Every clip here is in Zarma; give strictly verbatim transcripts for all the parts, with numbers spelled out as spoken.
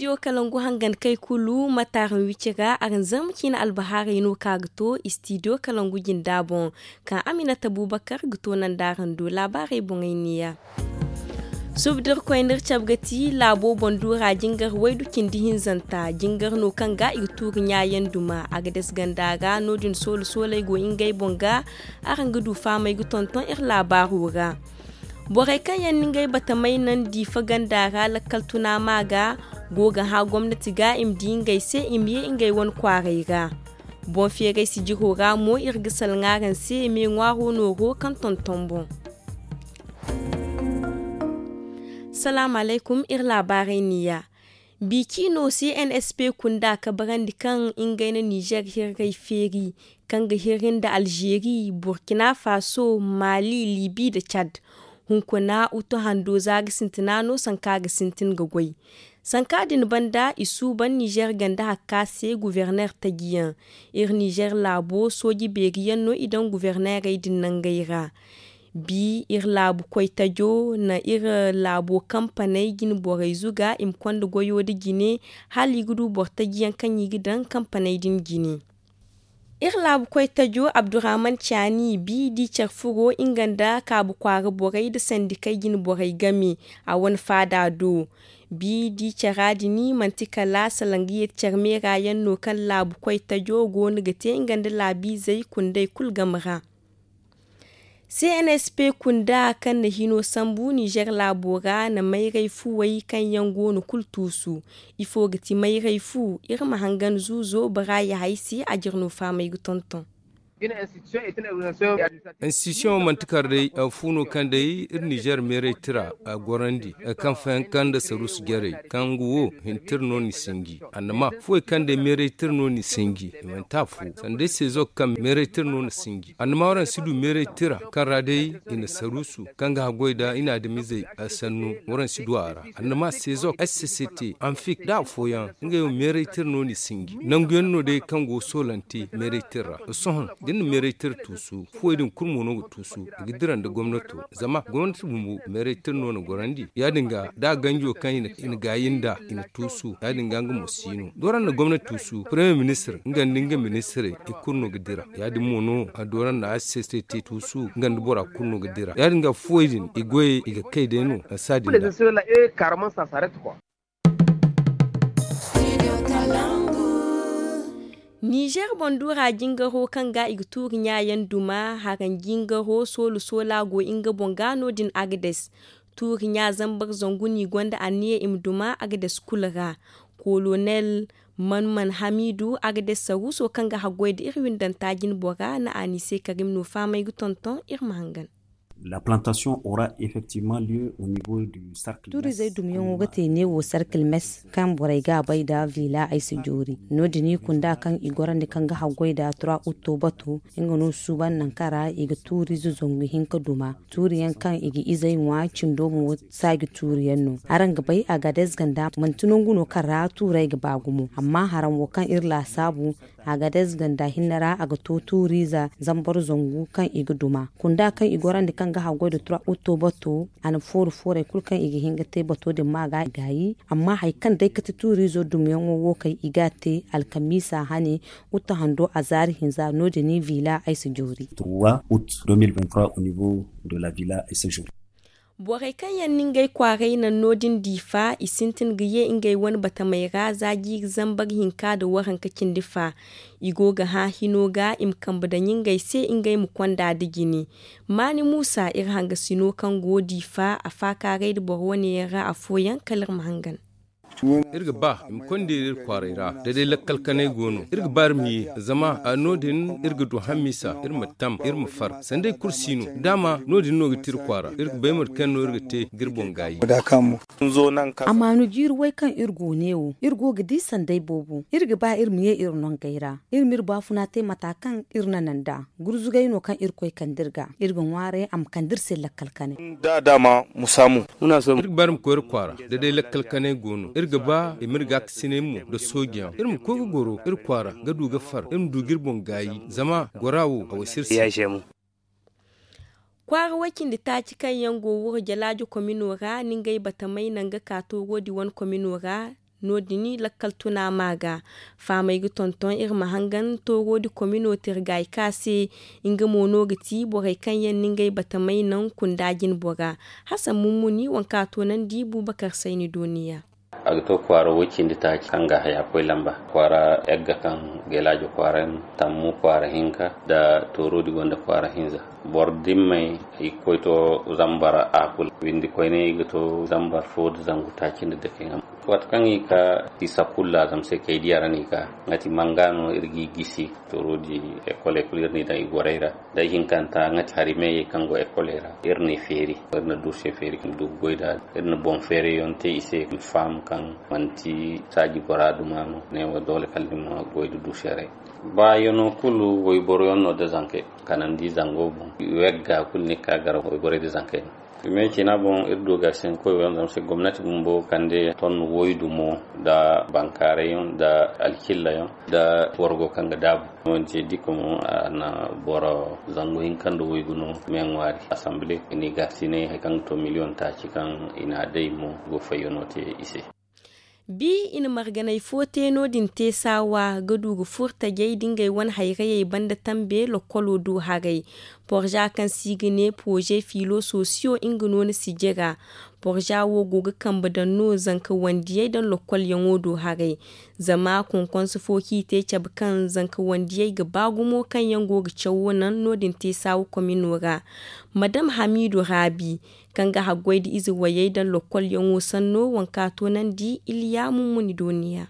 Istidiyo kalangu hangan kay kulu mate araŋ wici ra araŋ zarma ciine albahaarey no ka ga to istidiyo kalangu jinda boŋ, kaŋ aminata bubakar ga to nanda araŋ do laabaarey boŋey neeya. Suba da irkoy n'iri cabe ga ti laabo boŋ duura jingar waydu cindi hinzanta jingar no kaŋ ga i ga tuuri ɲaayaŋ duma a ga dase ganda ra no- din soola sooley go ngey boŋ ga. Araŋ ga du fahamey ga tonton iri laabaaro ra. Borey kaŋ yaŋ na ngey batamey naŋ diifa ganda ra lakkal tuna ma ga go ga hã gomnati ga i ma di ngey se i ma ye ngey wane kwaaray ra. Boŋ feeray sijiro ra mo iri ga salaŋ araŋ se me ŋwaaro nooro kaŋ tonton boŋ. Salaamu alaykum iri laabaarey neeya. Biiciino cnsp kunda kabarandi kaŋ ngey na nizer hirray feeri kaŋ ga hirri nda alzeeri burkina faso, mali libi nda cad. Hunkuna utu hando za ga sintina no sanka ga sintin ga goy. Sanka din banda i suuban nizer ganda hakka se guverner tajiyaŋ. Iri nizer laabo sooji beeriyaŋ no i daŋ guvernerey din nangey ra. Bi iri laabu koy tajo na iri laabo kampaney jine borey zuga i ma konda goyo nda jine hala i ga du boro tajiyaŋ kaŋ i ga daŋ kampaney din jine. Iri laabu koy tajo abdurrahman caani bi di care furo nga nda kaabu kwaara borey nda sandikey jine borey game a wane faada do. Bi di cara din manti kala salaŋ ga yeeti care meera yaŋ no kaŋ laabu koy tajo go no ga te nga nda laabiizey kundey kulu game ra. Cnsp kunda kaŋ na hino sambu nizer laabo ra na mayray fuwey kaŋ yaŋ go no kulu tuusu. Ifo ga ti mayray fu? Iri ma hangan zuuzo bara ya hay se a jira no fahamey ga tonton. Institution manti kar day fu no kaŋ day iri nizer meeray tira a gorandi kaŋ fayanka nda saruusu jarey kaŋ ga wo hintir no ni sinji annama fuwey kaŋ day meeray tira no ni sinji i manti a fu sanda day sezok kaŋ meeray tira no ni sinji annama waraŋ si du meeray tira kaŋ ra day i na saruusu kaŋ ga haggoy nda i na adamizey sannu waraŋ si du a ra annama sezok sct anfik nda afooyaŋ ngey wo meeray tira no ni sinji nangu yaŋ no day kaŋ go soolante meeray tira ra sohõ da ni na meeray tira tuusu fuwey din kulu mo no ga tuusu i ga dira nda gomnato zama gomnati bumbo meeray tira no na gorandi ya- din ga da ganjo kaŋ i na gaayi nd'a i na tuusu ya- din ga nga mo si no da waraŋ na gomnati tuusu paramiyer ministir nga nda nga ministirey i kulu no ga dira ya- din mo no da waraŋ na sct tuusu nga nda bora kulu no ga dira ya- din ga fuwey din i goyey i ga kay day no saadin da. Nizer boŋ duura jingaro kaŋ ga i ga tuuri ɲaayaŋ duma haraŋ jingaro soola soola go nga boŋ ga no- din agades. Tuuri ɲa zambar zangu no i gonda anniya i ma duma agades kulu ra. Kolonel manman hamiidu agades saruuso kaŋ ga haggoy nda iri windanta jine bora na a ni se karim no fahamey ga tonton iri ma hangan. La plantation aura effectivement lieu au niveau du cercle tuurizey dumyaŋo ga te neewo sarkil mes kaŋ borey ga a bay nda vila ay si joori no- din i kunda kaŋ i gorandi kaŋ ga haggoy nda tura utto bato nga no suuban nangu kaŋ ra i ga tuuriize zangu hinka duma tuuriyaŋ kaŋ i ga izey ŋwa cindo mo saaji tuuriyaŋ no. Araŋ ga bay agades ganda manti nangu no kaŋ ra tuurey ga ba gumo amma haraŋ wo kaŋ iri laasaabu agades ganda hinne ra a ga to tuuriize zambar zangu kaŋ i ga duma kunda kaŋ i gorandi kaŋ ga haggoy nda tura utto bato a na fooru foorey kulu kaŋ i ga hin ga te bato din ma ga gaayi amma hari kaŋ day ga ti tuuriizo dumyaŋo wo kaŋ i ga a te alkamiisa hane utto hando a zaari hinza no- din i vila ay si joori. Trois août deux mille vingt-trois au niveau de la villa et séjour. Borey kaŋ yaŋ na ngey kwaaray naŋ no- din diifa i sintin ga ye ngey wane batamey ra za jiiri zambar hinka nda waranka cindi fa. I go ga hã hino ga i ma kambe daŋ ngey se ngey ma konda nda jine. Maani muusa iri hangasino kaŋ go diifa a faakaaray nda boro wane yaŋ ra afooyaŋ kala iri ma hangan. Iri ga ba i ma konda iri iri kwaaray ra da day lakkal kanay go no iri ga ba iri ma ye zama no- din iri ga du hamisa iri ma tam iri ma far sanda iri kulu si no daama no- din no ga te iri kwaara iri ga bay mate kaŋ no iri ga te ga iri boŋ gaayi. Amaanu jiiri way kaŋ iri go neewo iri go ga di sanday boobo iri ga ba iri ma ye iri nongey ra iri ma iri baafuna te mata kaŋ iri na naŋ nd'a gurzugay no kaŋ irkoy kande iri ga iri ga ŋwaaray a ma kande iri se lakkal kanay. Iri ga ba iri ma koy iri kwaara da day lakkal kanay go no iri ga ba i ma iri gaakasinay mo nda soojiyaŋ iri ma koy ga goro iri kwaara ga du ga far iri ma du ga iri boŋ gaayi zama gora wo a wayse iri se. Kwaara way-cindi taaci kaŋ yaŋ go wuro jalaajo komino ra na ngey batamey naŋ ga ka tooro di wane komino ra. No- din lakkal tuna ma ga faamey ga tonton iri ma hangan tooro di komino tirgay ka se. Nga mo no ga ti borey kaŋ yaŋ na ngey batamey naŋ kunda jine bora. Hasan mummuni waŋ ka toonandi bubakar sayni dooniya. A ga to kwaara woy cindi taaci kaŋ ga haya koy lamba kwaara yagga kaŋ gelaajo kwaara yaŋ tammu kwaara hinka nda tooro di gonda kwaara hinza. Boro dimmey i ga koy to zambar a kulu windi koyne i ga to zambar fo nda zangu taaci nda dake. Waati kaŋ i ga ka i sakulla zama se kay diya ra no i ga ka nga ti manga no iri ga i gisi. Tooro di ekoley kulu iri n'i daŋ i gorey ra. Day hinkanta nga ti hari meeyey kaŋ go ekoley ra iri n'i feeri. Iri na duuse feeri kaŋ du ga goy nd'a. Iri na boŋ feerayyaŋ te i se i ma faham kaŋ manti saaji bora duma no neewo doole kala ni ma goy nda duuseerey. Ba yaŋo kulu wayboro yaŋ no nda zankey kanandi zango boŋ. Wegga kulu ni ga ka gar wayborey nda zankey no. Fime cina boŋ iri du ga sinkoy wo yaŋ zama se gomnati bumbo kande ton woydumo nda bankaaray yaŋ nda alkilla yaŋ nda borgo kaŋ ga daabu. Manti diko mo a na boro zangu hinka nda waygu no me ŋwaari assemble ni ga sinay hari kaŋ ga to miliyoŋ taaci kaŋ i na a day mo go fayyano te i se. Bi i na marganey fo te no- din te saawa ga du ga furtajey nda ngey wane hayrayey banda tambe lokkolo do haray. Porza kaŋ se i ga ne pooze filo sosiyo nga no ni si jira. Porza wo go ga kambe daŋ no zanka wandiyey daŋ lokkolyaŋo do haray. Zama konkonse fo kaŋ i te cabe kaŋ zanka wandiyey ga ba gumo kaŋ yaŋ go ga cawo naŋ no- din te saawa komino ra. Madam hamidu raabi kaŋ ga haggoy nda ize wayey daŋ lokkolyaŋo sanno waŋ ka toonandi iliya mummuni dooniya.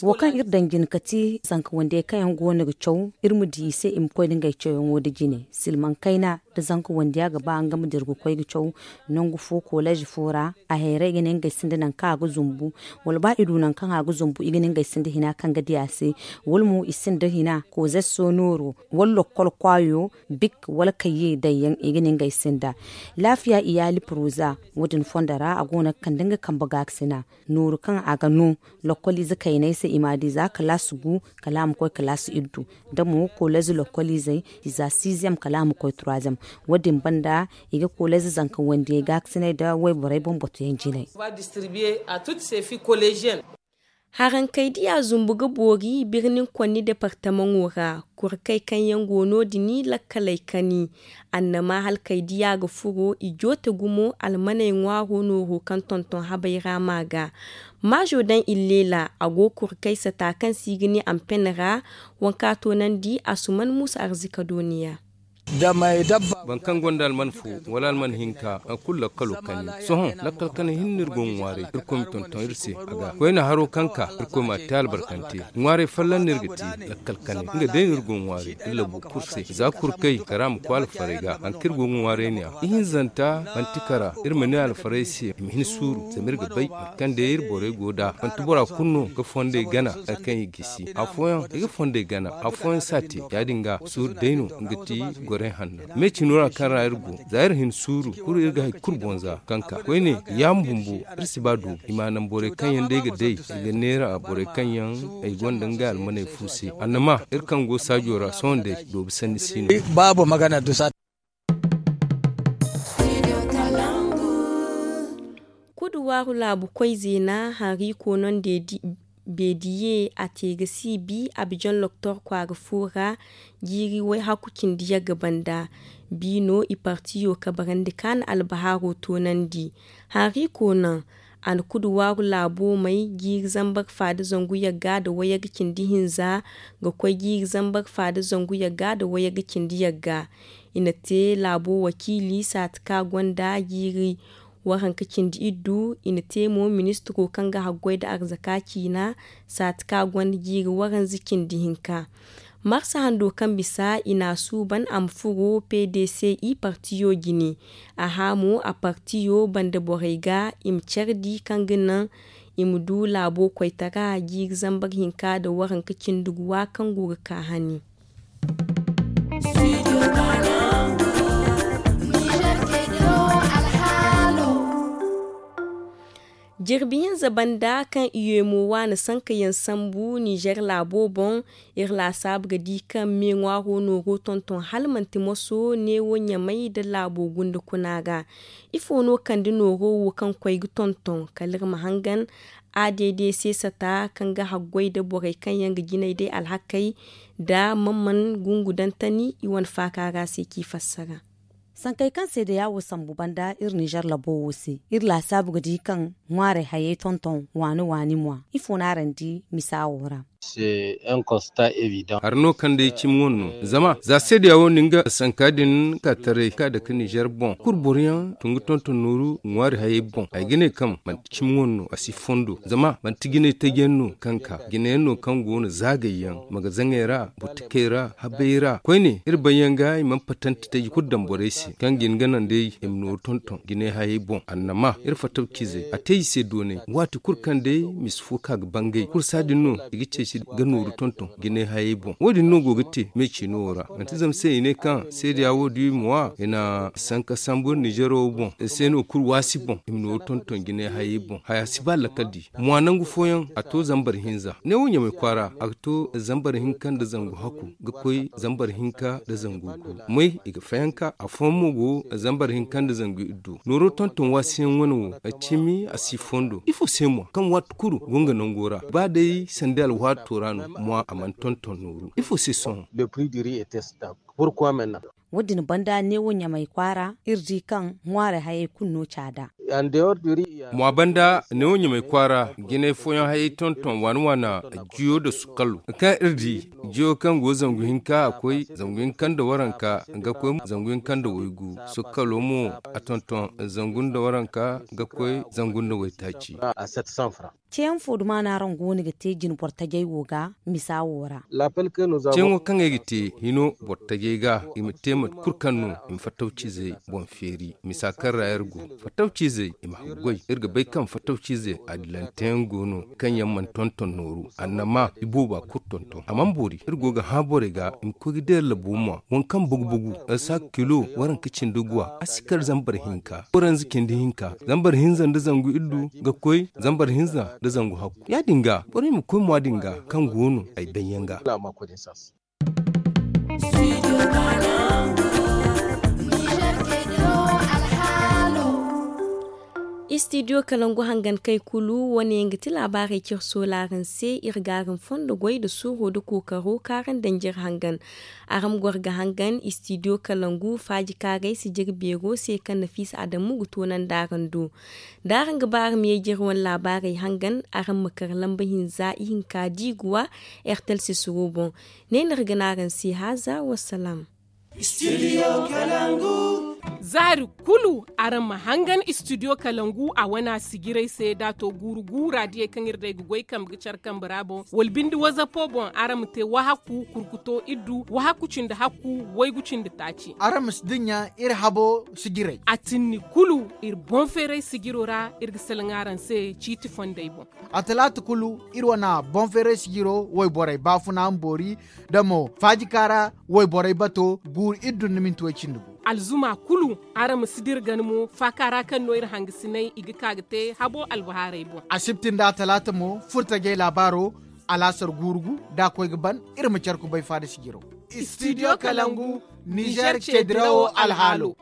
Wo kaŋ iri daŋ jina ka ti zanka wandiyey kaŋ yaŋ go no ga caw iri ma di i se i ma koy nda ngey cawyaŋo nda jine silmaŋ kayna nda zanka wandiya ga ba nga ma dira ga koy ga caw nangu fo koleez fo ra. A hayray ga ne ngey sinda nangu kaŋ a ga zumbu wala ba i du nangu kaŋ a ga zumbu i ga ne ngey sinda hina kaŋ ga di a se wala mo i sinda hina kozesso nooro wala lokkol kwaayo bik wala kayye daŋ yaŋ i ga ne ngey sinda. Laafiya iyaali poroza wo- din fondo ra a go no ga kande nga kambe gaakasina nooru kaŋ a ga no lokkoliize kayney se i ma a di za kalaasi gu kala a ma koy kalaasi iddu. Da mo koleeze lokkoliizey i za siiziyam kala a ma koy turaaziyam. Wo- din banda i ga koleeze zanka wandiyey gaakasiney nda wayborey boŋ batuyaŋ jinay. Harankey diya zumbu ga boori birnin konni departamaŋo ra. Kurkey kaŋ yaŋ go no- din lakkaley kani annama halkey diya ga furo i joote gumo almaney ŋwaaro nooro kaŋ tonton habey ra ma ga. Maazo daŋ illeela a go kurkey sata kaŋ se i ga ne ampen ra. Waŋ ka toonandi asuman muusa arzika dooniya. Boro kaŋ gonda alman fo wala alman hinka a kulu lakkalo kani sohõ lakkal kani hinne iri go ga ŋwaaray irkoy ma tonton iri se a ga koyne haro kaŋ ka irkoy ma a te albarkante. Ŋwaaray folloŋ no iri ga te lakkal kani nga day no iri go ga ŋwaaray iri labu kulu se za kurkey kara ma koy alfarey ga hari kaŋ iri go ga ŋwaaray ne a ihinzanta manti kara iri ma ne alfarey se i ma hin suuru zama iri ga bay hari kaŋ day iri borey go nd'a manti bora kulu no ga fondey gana hari kaŋ i ga i si afooyaŋ i ga fondey gana afooyaŋ si a te ya- din ga suuru day no nga ti gorey hanno me cino ra kaŋ ra iri go za iri hin suuru kulu iri ga hari kulu boŋ za kaŋ ka koyne yaama bumbo iri si ba doobu i ma a naŋ borey kaŋ yaŋ day ga day i ga neera borey kaŋ yaŋ ay gonda ngey almaney fu se annama iri kaŋ go saajo ra sohõ day doobu sanni si no. Kudu waaru laabu koy zeena hanriiko no nda beediye a te ga si bi abijan loktor kwaara fo ra. Jiiri wayhaku cindi yagga banda bi no i partiyo kabarandi ka na albahaaro toonandi. Hanriiko naŋ a na kudu waaru laabo may jiiri zambar faada zangu yagga nda wayagga cindi hinza ga koy jiiri zambar faada zangu yagga nda wayagga cindi yagga. I na te laabo wakiili saati ka gonda jiiri waranka cindi iddu i na te mo ministiro kaŋ ga haggoy nda arzaka ciina saati ka gonda jiiri waranza cindi hinka. Marsa hando kaŋ bisa i na a suuban a ma furo pdc i partiyo jine. A hã mo a partiyo banda borey ga i ma care di kaŋ ga naŋ i ma du laabo koytara jiiri zambar hinka nda waranka cindi guwa kaŋ go ga ka hani. Jirbi hinza banda kaŋ i ye mo waani sankayaŋ sambu ninzeer laabo boŋ. Iri laasaabu ga di kaŋ me ŋwaaro nooro tonton hala manti moso neewo ɲamay nda laabo gunda kuna ga. Ifo no kande nooro wo kaŋ koy ga tonton kala iri ma hangan a deede seesata kaŋ ga haggoy nda borey kaŋ yaŋ ga jinay day alhakey nda man man gungu daŋ tani i wane faaka ra se k'i fassara. Sankey kaŋ seedeya wo sambu banda iri ninzeer labo wo se iri laasaabu ga di kaŋ ŋwaarey hayey tonton waani waani mwa. Ifo no araŋ di misa wo ra? Hari no kaŋ day cimi wane no zama za seedeya wo na nga sanka din ka taray ka dake ninzeer boŋ kulu boro yaŋ tun ga tonton nooru ŋwaari hayey boŋ ay ga ne kaŋ manti cimi wane no a si fondo zama manti jinay taji yaŋ no kaŋ ka jinayaŋ no kaŋ go no zaagay yaŋ magazaŋey ra butikey ra habey ra koyne iri bay yaŋ ga i mana patante taji kulu daŋ borey se kaŋ ga hin ga naŋ day i ma nooru tonton jinay hayey boŋ annama iri fattaw ciizey a te i se doonay waati kulu kaŋ day misa fo ka ga bangay kulu saadin no i ga ceeci ga nooru tonton jinay hayey boŋ wo- din no go ga te me ciino wo ra manti zama se i ne kaŋ seedeya wo- din i ma wa i na sanka sambu ninzeero wo boŋ se no kulu waasi boŋ i ma nooru tonton jinay hayey boŋ haya si ba lakkal di mwa nangu fooyaŋ a to zambar hinza neewo ɲamay kwaara a ga to zambar hinka nda zangu hakku ga koy zambar hinka nda zangu gu moy i ga fayanka afooyaŋ mo go zambar hinka nda zangu iddu nooro tonton waasiyaŋ wane wo cimi a si fondo ifo se mo kaŋ waati kulu go nga nango ra ba day sanda alwaato ra no mwa a mana tonton nooru ifo se sohõ. Wo- din banda neewo ɲamay kwaara iri di kaŋ ŋwaarey hayey kulu no caada. Mwa banda neewo ɲamay kwaara jinay fooyaŋ hayey tonton waana waana jiyo nda sukkalo kaŋ iri di jiyo kaŋ go zangu hinka a koy zangu hinka nda waranka ga koy zangu hinka nda waygu sukkalo mo a tonton zangu nda waranka ga koy zangu nda waytaaci. Ceeyaŋ fo duma no araŋ go no ga te jine boro tajey wo ga misa wo ra? Ceeyaŋo kaŋ ay ga te hino boro tajey ga i ma te mate kulu kaŋ no i ma fattaw ciizey boŋ feeri misa kaŋ ra iri go fattaw ciizey i ma haggoy iri ga bay kaŋ fattaw ciizey adilanteyaŋ go no kaŋ yaŋ mana tonton nooru annama i booba kulu tonton a mana boori iri go ga hã borey ga i ma koy ga deera labo mwa waŋ kaŋ bugu-bugu saaka kilo waranka cindi guwa a si kar zambar hinka waranza cindi hinka zambar hinza nda zangu iddu ga koy zambar hinza nda zangu hakku ya- din ga borey ma koy mwa din ga kaŋ go no ay daŋ yaŋ ga. Istidiyo kalangu hangan kay kulu wane yaŋ ga ti laabaarey cire soolaaraŋ se iri ga araŋ fondo goy nda suuro nda kookaro kaŋ araŋ daŋ jire hangan. Araŋ ma goro ga hangan istidiyo kalangu faaji kaaray sijiri beero se kaŋ nafiisa adamu ga toonandi araŋ do da araŋ ga ba araŋ ma ye jire wane laabaarey hangan araŋ ma kar lamba hinza ihinka diiguwa. Ertel sisiro boŋ ne no iri ga ne araŋ se haaza wassalaam. Zaari kulu araŋ ma hangan istidiyo kalangu a wane a sijirey se da a to guuru guura diyey kaŋ iri day ga goy kambe ga care kambe ra boŋ wala binde wazapo boŋ araŋ ma te wahakku kurkuto iddu wahakku cindi hakku waygu cindi taaci. Araŋ ma si dinya iri habo sijirey a tinni kulu iri boŋ feeray sijiro ra iri ga salaŋ araŋ se ciiti fondey boŋ. A talaata kulu iri wane boŋ feeray sijiro wayborey baafuna ma boori da mo faajika ra wayborey bato guuru iddu nda minti way cindi gu. Alzuma kulu araŋ ma si dira gana mo faaka ra kaŋ no iri hangasinay i ga ka ga te habo albahaarey boŋ. Asibti nda a talaata mo furtajey laabaaro alaasar guuru gu da a koy ga ban iri ma care kubay faada sijiro. Istidiyo kalangu nizer ceedirawo alhaalo.